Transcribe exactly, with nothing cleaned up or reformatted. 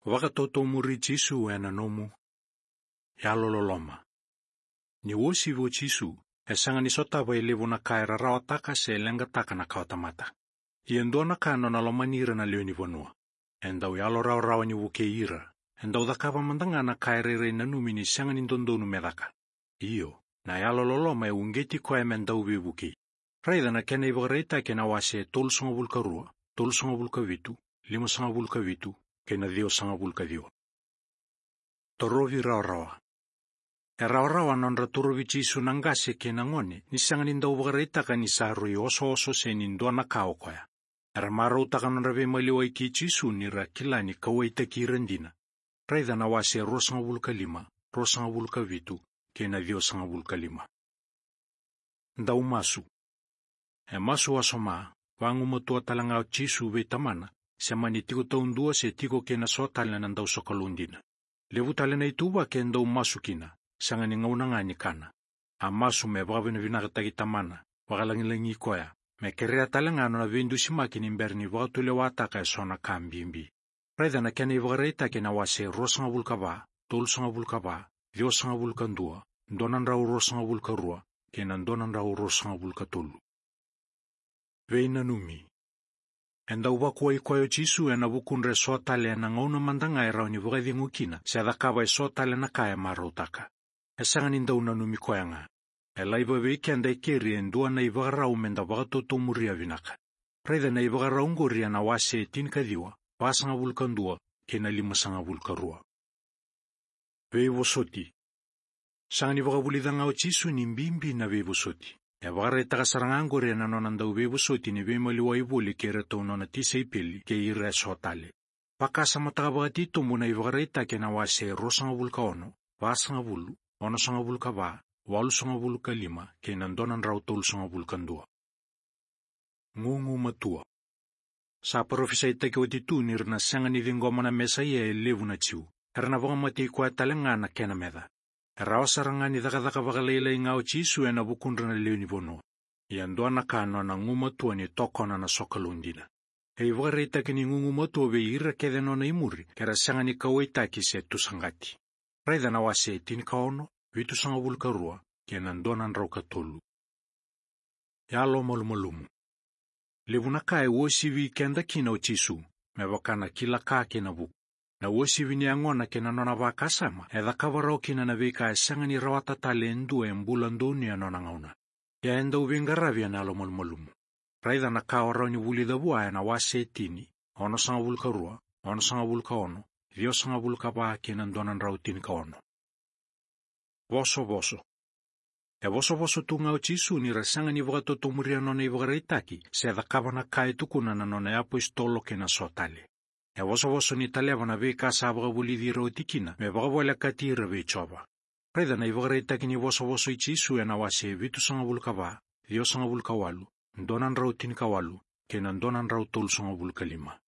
Vakatotomuri Jisu ena nomu yalololoma. Ni uasivi o Jisu, e sega ni sotava e levu na ka e rarawataka se leqataka na kawatamata. Ia e dua na ka nona lomani ira na lewe ni vanua. E dau yalo rawarawa ni vukei ira. E dau cakava mada ga na ka e rairai nanumi ni sega ni dodonu me caka. Io, na yalololoma e uqeti koya me dau veivukei. Raica na kena ivakaraitaki ena wase tolusagavulu ka rua, tolusagavulu ka vitu, limasagavulu ka vitu, kei na ciwasagavulu ka ciwa. Torovi rawarawa. E rawarawa nodra torovi Jisu na qase kei na gone, ni sega ni dau vakaraitaka ni sa rui osooso se ni dua na ka o koya. Era marautaka nodra veimaliwai kei Jisu ni ra kila ni kauwaitaki ira dina. Raica na wase ruasagavulu ka lima, ruasagavulu ka vitu, kei na ciwasagavulu ka lima. Dau masu. E masu wasoma, vagumatua tale ga o Jisu vei Tamana, se mani tiko taudua se tiko kei na so tale na dau sokalou dina. Levu tale na ituvaki e dau masu kina, sega ni gauna ga ni kana. A masu me vakavinavinakataki Tamana, vakalagilagi koya, me kerea tale ga nona veidusimaki ni bera ni vakatulewataka e so na ka bibi. Raica na kena ivakaraitaki ena wase ruasagavulu ka va, tolusagavulu ka va, ciwasagavulu ka dua, dua na drau ruasagavulu ka rua, kei na dua na drau ruasagavulu ka tolu. Veinanumi. E dau vakuai koya o Jisu ena vukudra e so tale ena gauna mada ga e rawa ni vakacegu kina se cakava e so tale na ka e marautaka. E sega ni dau nanumi koya ga. E laiva vei keda e keri e dua na ivakarau me da vakatotomuria vinaka. Raica na ivakarau qori ena wase tinikaciwa, vasagavulu ka dua, kei na limasagavulu ka rua. Veivosoti. Sega ni vakavulica ga o Jisu ni bibi na veivosoti. E vakaraitaka sara ga qori ena nona dau veivosoti ni veimaliwai voli kei iratou nona tisaipeli kei ira e so tale. Vakasamataka vakatitobu na ivakaraitaki ena wase ruasagavulu ka ono, vasagavulu, onosagavulu ka va, walusagavulu ka lima, kei na dua na drau tolusagavulu ka dua. Gugumatua. Sa parofisaitaki oti tu ni ra na sega ni ciqoma na Mesaia e levu na Jiu. Era na vakamatei koya tale ga na kena meca. E rawa sara ga ni cakacaka vakalailai ga o Jisu ena vukudra na lewe ni vanua. Ia dua na ka nona gumatua ni tokona na sokalou dina. E ivakaraitaki ni gugumatua vei ira kece nona imuri, ke ra sega ni kauwaitaki se tusaqati. Raica na wase tinikaono, vitusagavulu ka rua, kei na dua na drau ka tolu. Yalomalumalumu. Levu na ka e uasivi keda kina o Jisu, me vaka na kila ka kei na vuku. Na uasivi ni yagona kei na nona vakasama, e cakava rawa kina na veika e sega ni rawata tale e dua e bula donuya nona gauna. Ia e dau veiqaravi ena yalomalumalumu. Raica na ka o rawa ni vulica vua ena wase tini, onosagavulu ka rua, onosagavulu ka ono, ciwasagavulu ka va kei na dua na drau tinikaono. Vosovoso. E vosovoso tu ga o Jisu ni ra sega ni vakatotomuria nona ivakaraitaki, se cakava na ka e tukuna na nona iapositolo kei na so tale. E vosovoso ni taleva na veika sa vakavulici ira oti kina, me vakavolekati ira vei Jiova. Raica na ivakaraitaki ni vosovoso i Jisu ena wase vitusagavulu ka va, ciwasagavulu ka walu, dua na drau tinikawalu, kei na dua na drau tolusagavulu ka lima.